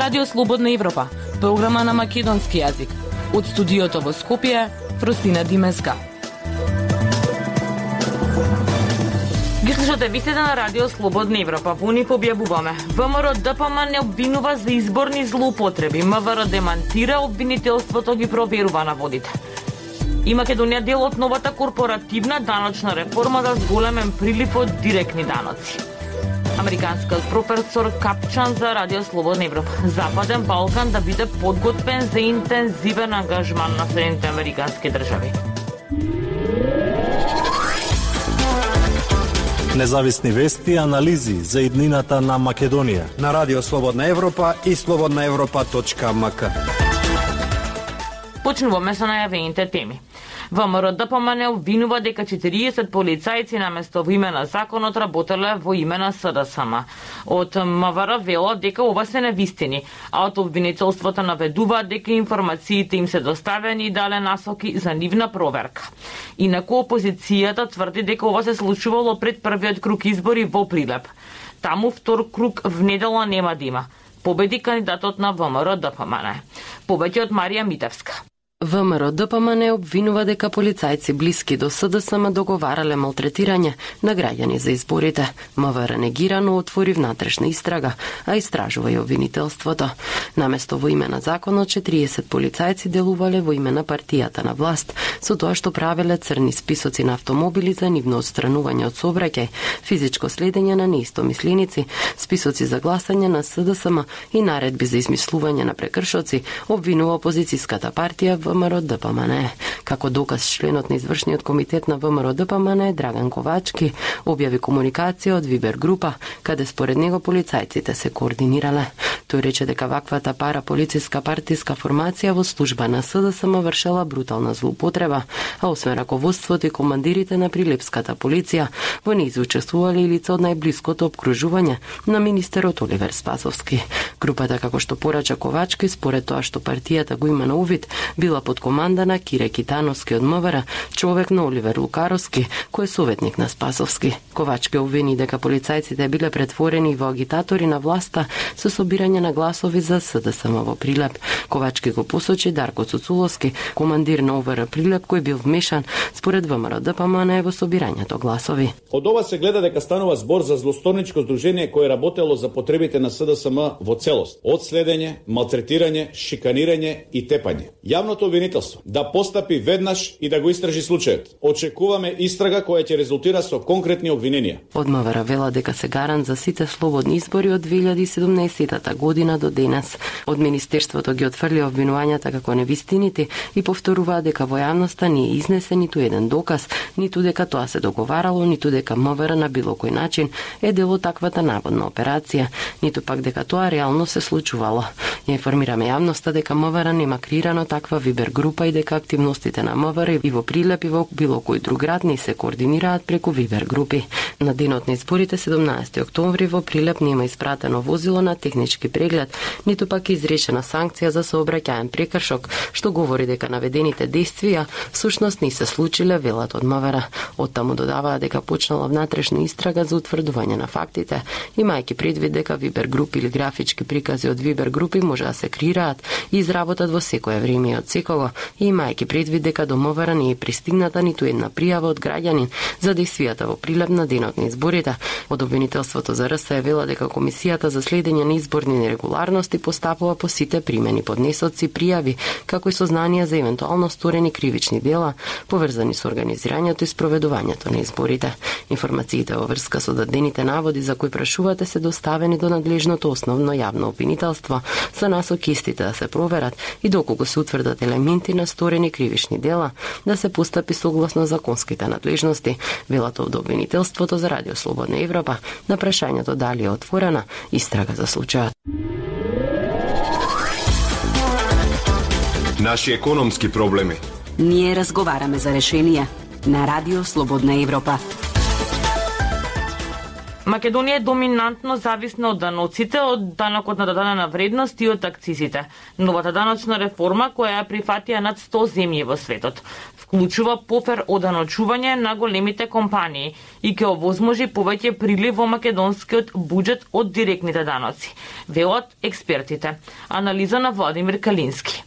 Радио Слободна Европа, програма на македонски јазик. Од студиото во Скопје, Фростина Димеска. Ги слушате вистите на Радио Слободна Европа. Во нив објавуваме: ВМРО ДПМН не обвинува за изборни злоупотреби. МВР демантира обвинителството, ги проверува наводите. И Македонија дел од новата корпоративна даночна реформа за зголемен прилив од директни даноци. Американскиот професор Капчан за Радио Слободна Европа. Западен Балкан да биде подготвен за интензивен ангажман на Соединените американски држави. Независни вести и анализи за иднината на Македонија на Радио Слободна Европа и slobodnaevropa.mk. Почнуваме со најавените теми. ВМРО ДПМН обвинува дека 40 полицајци наместо во име на законот работеле во име на СДСМ. Од МВР велат дека ова се невистини, а од обвинителството наведуваат дека информациите им се доставени и дале насоки за нивна проверка. Инаку опозицијата тврди дека ова се случувало пред првиот круг избори во Прилеп. Таму втор круг внедела нема да има. Победи кандидатот на ВМРО ДПМН. Повеќе од Марија Митевска. ВМРО ДПМН обвинува дека полицајци блиски до СДСМ договарале малтретирање на граѓани за изборите. МВР негирано отвори внатрешна истрага, а истражува и обвинителството. Наместо во име на законот, 40 полицајци делувале во име на партијата на власт, со тоа што правеле црни списоци на автомобили за нивно отстранување од сообраќај, физичко следење на неистомисленици, списоци за гласање на СДСМ и наредби за измислување на прекршоци, обвинува опозицијската партија ВМРО ДПМН. Како доказ, членот на извршниот комитет на ВМРО ДПМН Драган Ковачки објави комуникација од Вибер група, каде според него полицајците се координирале. Тој рече дека ваквата параполициска партиска формација во служба на СДСМ вршела брутална злоупотреба, а освен раководството и командирите на Прилепската полиција, во неј учествувале и лица од најблиското опкружување на министерот Оливер Спасовски. Групата, како што порача Ковачки, според тоа што партијата го има на увид, била под команда на Кире Китановски од МВР, човек на Оливер Лукаровски, кој е советник на Спасовски. Ковачки обвини дека полицајците биле претворени во агитатори на власта со собирање на гласови за СДСМ во Прилеп. Ковачки го посочи Дарко Цуцуловски, командир на МВР Прилеп, кој бил вмешан според ВМРО ДПМН во собирањето гласови. Од ова се гледа дека станува збор за злосторничко здружение кое работело за потребите на СДСМ во целост, од следење, малтретирање, шиканирање и тепање. Јавното обвинителство да постапи веднаш и да го истражи случајот. Очекуваме истрага која ќе резултира со конкретни обвиненија. Од МВР вела дека се гарант за сите слободни избори од 2017 година до денес. Од Министерството ги отфрли обвинувањата како невистините и повторува дека во јавноста не е изнесен ниту еден доказ, ниту дека тоа се договарало, ниту дека МВР на било кој начин е дел од таквата наводна операција, ниту пак дека тоа реално се случувало. Ја информираме јавноста дека МВР нема креирано таква Вибер група и дека активностите на МВР и во Прилеп и во било кој друг град не се координираат преку Вибер групи. На денот на изборите 17 октомври во Прилеп нема испратено возило на технички преглед, ниту пак изречена санкција за сообраќаен прекршок, што говори дека наведените действија всушност не се случиле, велат од МВР. Оттаму додаваа дека почнала внатрешна истрага за утврдување на фактите, имајќи предвид дека Вибер групи или графички прикази од Вибер групи може да се креираат и изработат во секое време и од секого, и имајќи предвид дека до МВР не е пристигната ниту една пријава од граѓанин за действијата во Прилеп на денот на изборите. Од обвинителството за РС вела дека Комисијата за следење на изборни нерегуларности постапува по сите примени поднесоци пријави, како и сознанија за евентуално сторени кривични дела, поврзани со организирањето и спроведувањето на изборите. Информациите во врска со дадените наводи за кои прашувате се доставени до надлежното основно јавно обвинителство, за насоки истите да се проверат и доколку се утврдат елементи на сторени кривични дела, да се постапи согласно законските надлежности, велат од обвинителството за Радио Слободна Европа на прашањето дали е отворена истрага за случајот. Наши економски проблеми. Ние разговараме за решенија на Радио Слободна Европа. Македонија е доминантно зависна од даноците, од данокот на додадена вредност и од акцизите. Новата даночна реформа, која ја прифатија над 100 земји во светот, вклучува пофер оданочување на големите компании и ќе овозможи повеќе прилив во македонскиот буџет од директните даноци, велат експертите. Анализа на Владимир Калински.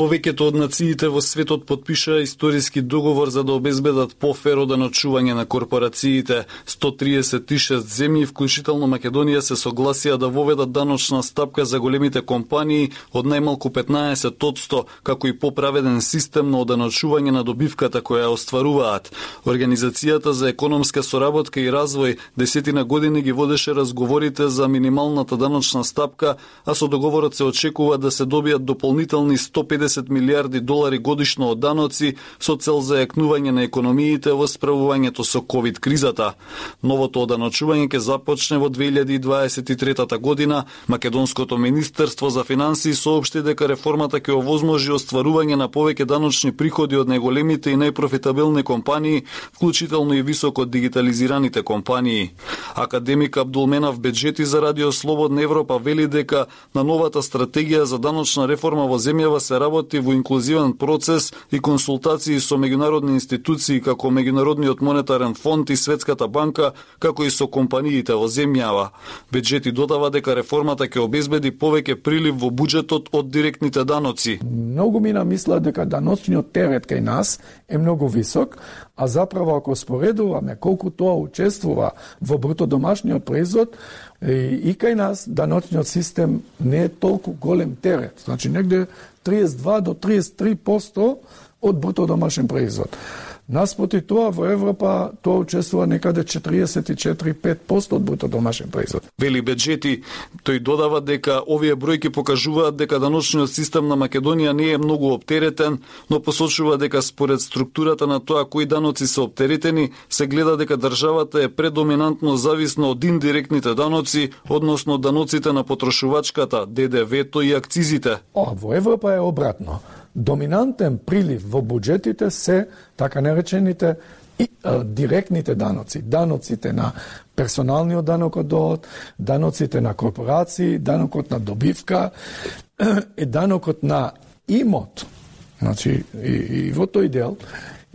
Повеќето од нациите во светот потпишаа историски договор за да обезбедат пофер оданочување на корпорациите. 136 земји, вклучително Македонија, се согласија да воведат даночна стапка за големите компании од најмалку 15%, како и поправеден систем на оданочување на добивката која остваруваат. Организацијата за економска соработка и развој 10 години ги водеше разговорите за минималната даночна стапка, а со договорот се очекува да се добијат дополнителни 150 милиарди долари годишно од даноци со цел зајакнување на економиите во справувањето со ковид кризата. Новото оданочување ќе започне во 2023 година. Македонското министерство за финансии соопшти дека реформата ќе овозможи остварување на повеќе даночни приходи од најголемите и најпрофитабилни компании, вклучително и високо дигитализираните компании. Академик Абдулменав Беджети за Радио Слободна Европа вели дека на новата стратегија за даночна реформа во земјава се работи во инклузивен процес и консултации со меѓународни институции како Меѓународниот монетарен фонд и Светската банка, како и со компаниите во земјава. Беджети додава дека реформата ќе обезбеди повеќе прилив во буџетот од директните даноци. Многу мина мислат дека даночниот терет кај нас е многу висок, а заправо ако споредуваме колку тоа учествува во бруто домашниот производ, и кај нас даночниот систем не е толку голем терет. Значи негде 32 до 33% од бруто домашен производ. Наспроти тоа во Европа тоа учествува некаде 44-5% од бруто домашен производ. Вели Беджети, тој додава дека овие бројки покажуваат дека даночниот систем на Македонија не е многу оптеретен, но посочува дека според структурата на тоа кои даноци се оптеретени, се гледа дека државата е предоминантно зависна од индиректните даноци, односно даноците на потрошувачката, ДДВ-то и акцизите. Во Европа е обратно. Доминантен прилив во буџетите се така наречените директните даноци. Даноците на персоналниот данок од доход, даноците на корпорации, данокот на добивка, данокот на имот. Значи, и во тој дел.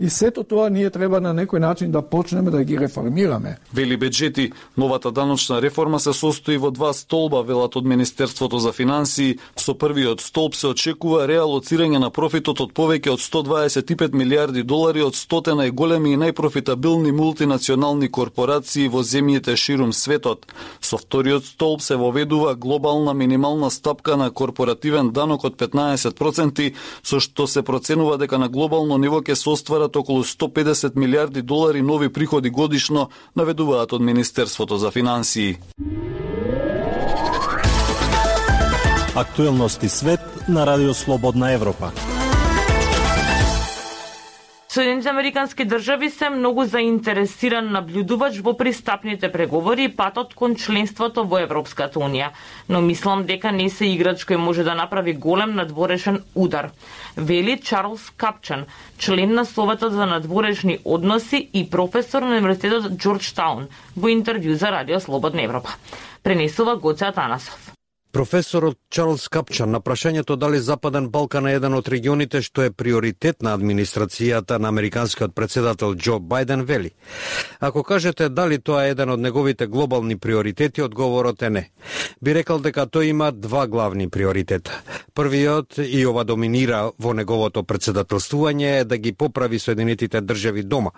И сето тоа ние треба на некој начин да почнеме да ги реформираме. Вели Беджети, новата даночна реформа се состои во 2 столба, велат од Министерството за финансии. Со првиот столб се очекува реалоцирање на профитот од повеќе од 125 милиарди долари од 100 најголеми и најпрофитабилни мултинационални корпорации во земјите ширум светот. Со вториот столб се воведува глобална минимална стапка на корпоративен данок од 15%, со што се проценува дека на глобално ниво ќе се оствара околу 150 милиарди долари нови приходи годишно, наведуваат од Министерството за финансии. Актуелности свет на Радио Слободна Европа. Соединените американски држави се многу заинтересиран наблюдувач во пристапните преговори и патот кон членството во Европската унија, но мислам дека не се играч кој може да направи голем надворешен удар, вели Чарлс Капчан, член на Советот за надворешни односи и професор на Универзитетот Џорџтаун, во интервју за Радио Слободна Европа. Пренесува Гоце Атанасов. Професорот Чарлс Капчан на прашањето дали Западен Балкан е еден од регионите што е приоритет на администрацијата на американскиот председател Џо Бајден вели: ако кажете дали тоа е еден од неговите глобални приоритети, одговорот е не. Би рекол дека тој има 2 главни приоритета. Првиот, и ова доминира во неговото председателствување, е да ги поправи Соединетите држави дома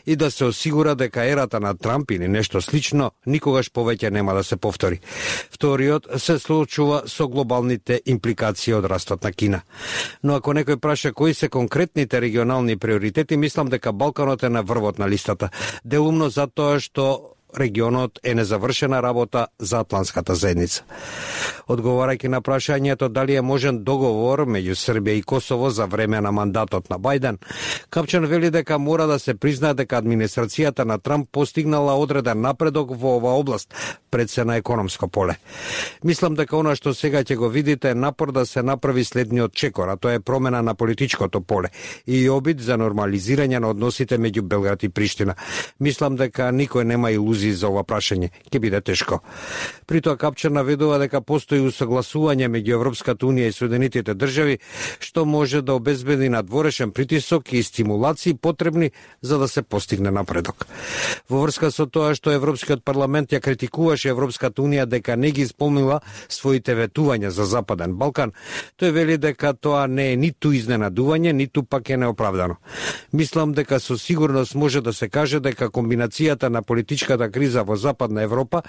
и да се осигура дека ерата на Трамп или нешто слично никогаш повеќе нема да се повтори. Вториот се случува со глобалните импликации од растот на Кина. Но ако некој праша кои се конкретните регионални приоритети, мислам дека Балканот е на врвот на листата. Делумно затоа што регионот е незавршена работа за Атлантската заедница. Одговарајќи на прашањето дали е можен договор меѓу Србија и Косово за време на мандатот на Бајден, Капчан вели дека мора да се признае дека администрацијата на Трамп постигнала одреден напредок во оваа област, пред се на економско поле. Мислам дека она што сега ќе го видите е напор да се направи следниот чекор, а тоа е промена на политичкото поле и обид за нормализирање на односите меѓу Белград и Приштина. Мислам дека никој нема илузија дискузии за ова прашање. Ќе биде тешко. При тоа Капчан наведува дека постои усогласување меѓу Европската унија и Соединетите држави, што може да обезбеди надворешен притисок и стимулации потребни за да се постигне напредок. Во врска со тоа што Европскиот парламент ја критикуваше Европската унија дека не ги исполнила своите ветувања за Западен Балкан, тој вели дека тоа не е ниту изненадување, ниту пак е неоправдано. Мислам дека со сигурност може да се каже дека комбинацијата на политичката криза во Западна Европа,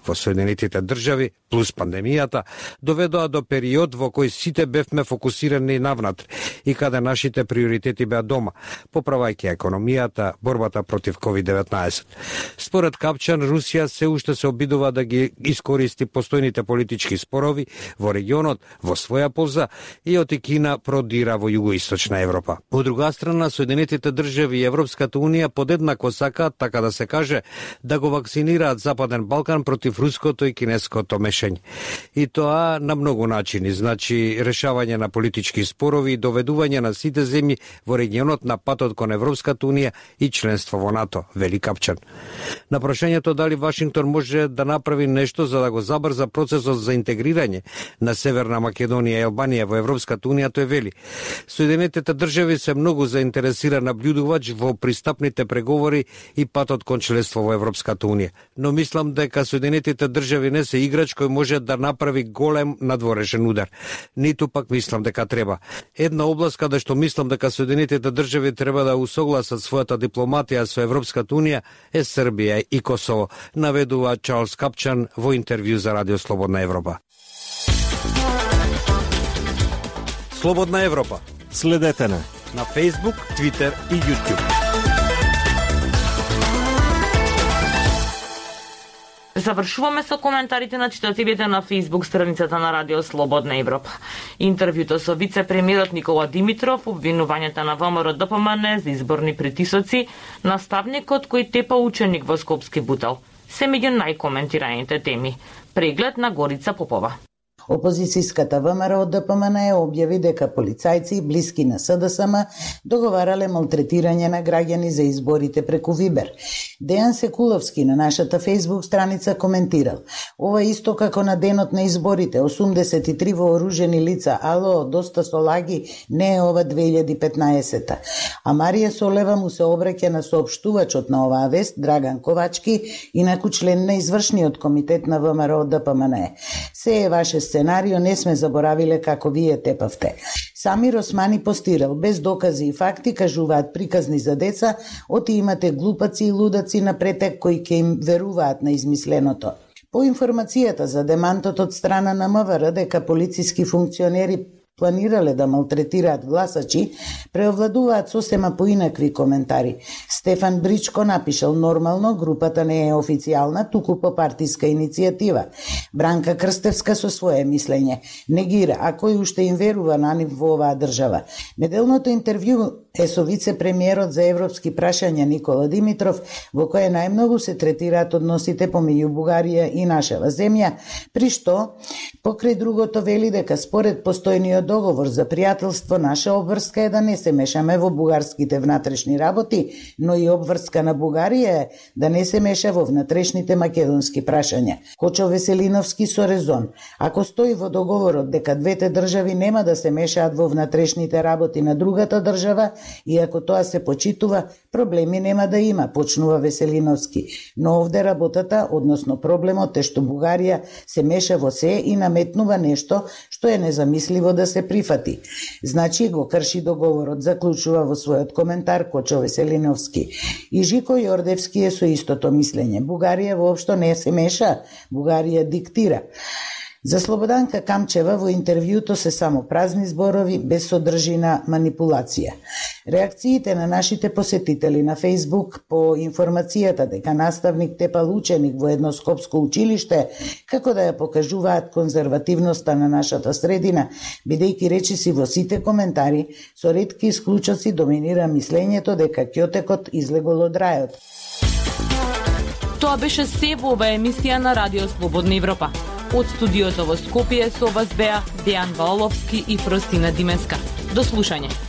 во Соединетите држави, плюс пандемијата, доведоа до период во кој сите бевме фокусирани навнатре и каде нашите приоритети беа дома, поправајќи економијата, борбата против COVID-19. Според Капчан, Русија се уште се обидува да ги искористи постојните политички спорови во регионот во своја полза и оти Кина продира во југоисточна Европа. Од друга страна, Соединетите држави и Европската унија подеднакво сакаат, така да се каже, да го вакцинираат Западен Балкан против руското и кинеското мешање. И тоа на многу начини, значи решавање на политички спорови и доведување на сите земји во регионот на патот кон Европската унија и членство во НАТО, вели Капчан. На прашањето дали Вашингтон може да направи нешто за да го забрза процесот за интегрирање на Северна Македонија и Албанија во Европската унија, тој вели: Соединетите држави се многу заинтересиран наблюдувач во пристапните преговори и патот кон членство во Европската унија. Но мислам дека Соединетите држави не се играч кој може да направи голем надворешен удар. Ниту пак мислам дека треба. Една област каде што мислам дека Соединетите држави треба да усогласат својата дипломатија со Европската унија е Србија и Косово, наведува Чарлс Капчан во интервју за Радио Слободна Европа. Слободна Европа. Следете на Facebook, Twitter и YouTube. Завршуваме со коментарите на читателите на Facebook страницата на Радио Слободна Европа. Интервјуто со вице-премиерот Никола Димитров, обвинувањата на ВМРО ДПМН за изборни притисоци, наставникот кој тепа ученик во Скопски бутал, се меѓу најкоментираните теми. Преглед на Горица Попова. Опозицијската ВМРО ДПМН објави дека полицајци блиски на СДСМ договарале малтретирање на граѓани за изборите преку Вибер. Дејан Секуловски на нашата Facebook страница коментирал: ова исто како на денот на изборите, 83 вооружени лица, ало, доста со лаги, не е ова 2015-та. А Марија Солева му се обраќа на соопштувачот на оваа вест, Драган Ковачки, инаку член на извршниот комитет на ВМРО ДПМН. Се е ваше сценарио, не сме заборавиле како вие тепавте. Самир Османи постирал: без докази и факти кажуваат приказни за деца, оти имате глупаци и лудаци на претек кои ќе им веруваат на измисленото. По информацијата за демантот од страна на МВР дека полициски функционери планирале да малтретираат гласачи, преовладуваат сосема поинакви коментари. Стефан Бричко напишал: нормално, групата не е официјална, туку по партиска иницијатива. Бранка Крстевска со свое мислење негира, а кој уште им верува на нив во оваа држава. Неделното интервју е со вице-премиерот за европски прашања Никола Димитров, во кое најмногу се третираат односите помеѓу Бугарија и нашава земја, при што покрај другото вели дека според постојниот договор за пријателство, наша обврска е да не се мешаме во бугарските внатрешни работи, но и обврска на Бугарија е да не се меша во внатрешните македонски прашања. Кочо Веселиновски со резон: ако стои во договорот дека двете држави нема да се мешаат во внатрешните работи на другата држава и ако тоа се почитува, проблеми нема да има, почнува Веселиновски. Но овде работата, односно проблемот е што Бугарија се меша во се и наметнува нешто што е незамисливо да се прифати. Значи го крши договорот, заклучува во својот коментар Кочо Веселиновски. И Жико Јордевски е со истото мислење. Бугарија воопшто не се меша, Бугарија диктира. За Слободанка Камчева во интервјуто се само празни зборови без содржина манипулација. Реакциите на нашите посетители на Facebook по информацијата дека наставник тепал ученик во едно скопско училиште, како да ја покажуваат конзервативноста на нашата средина, бидејќи речиси во сите коментари со ретки исклучоци доминира мислењето дека ќотекот излегол од рајот. Тоа беше се во оваа емисија на Радио Слободна Европа. Од студиото во Скопје со вас беа Дејан Валовски и Фростина Димеска. До слушање.